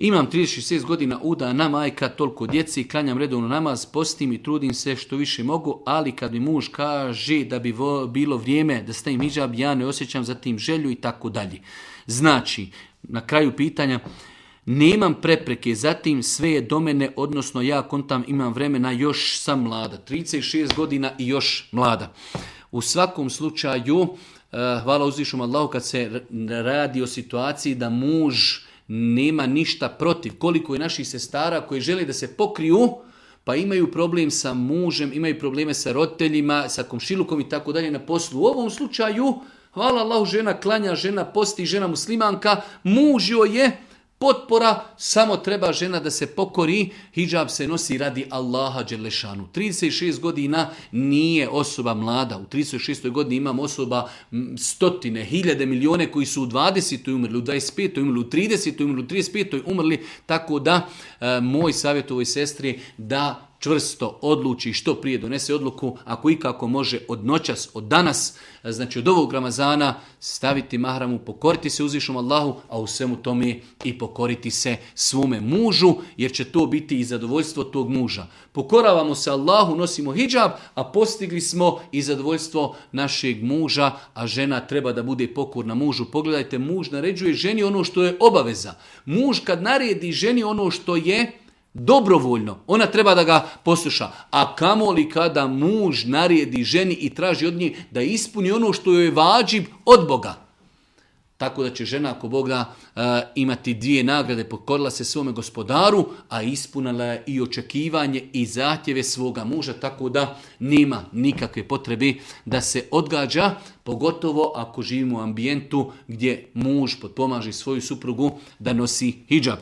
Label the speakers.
Speaker 1: Imam 36 godina, udana majka, toliko djeci, klanjam redovno namaz, postim i trudim se što više mogu, ali kad mi muž kaže da bi bilo vrijeme da stavim hidžab, ja ne osjećam za tim želju i tako dalje. Znači, na kraju pitanja, nemam prepreke, zatim sve je do mene, odnosno ja kontam imam vremena, još sam mlada, 36 godina i još mlada. U svakom slučaju, hvala uzvišom Allahu kad se radi o situaciji da muž nema ništa protiv. Koliko je naših sestara koji žele da se pokriju, pa imaju problem sa mužem, imaju probleme sa roditeljima, sa komšilukom i tako dalje na poslu. U ovom slučaju, hvala Allahu, žena klanja, žena posti, žena muslimanka, muž joj je potpora, samo treba žena da se pokori, hidžab se nosi radi Allaha dželešanu. 36 godina nije osoba mlada, u 36. godini imam osoba stotine, hiljade, milijone koji su u 20. umrli, u 25. umrli, u 30. umrli, u 35. umrli, tako da moj savjet ovoj sestri da čvrsto odluči što prije donese odluku, ako ikako može od noćas, od danas, znači od ovog Ramazana, staviti mahramu, pokoriti se uzvišom Allahu, a u svemu tome i pokoriti se svome mužu, jer će to biti i zadovoljstvo tog muža. Pokoravamo se Allahu, nosimo hidžab, a postigli smo i zadovoljstvo našeg muža, a žena treba da bude pokorna mužu. Pogledajte, muž naređuje ženi ono što je obaveza. Muž kad naredi ženi ono što je dobrovoljno, ona treba da ga posluša. A kamoli kada muž naredi ženi i traži od nje da ispuni ono što joj je vađib od Boga. Tako da će žena ako Boga imati dvije nagrade, pokorila se svome gospodaru, a ispunila je i očekivanje i zahtjeve svoga muža, tako da nema nikakve potrebe da se odgađa, pogotovo ako živimo u ambijentu gdje muž potpomaže svoju suprugu da nosi hidžab.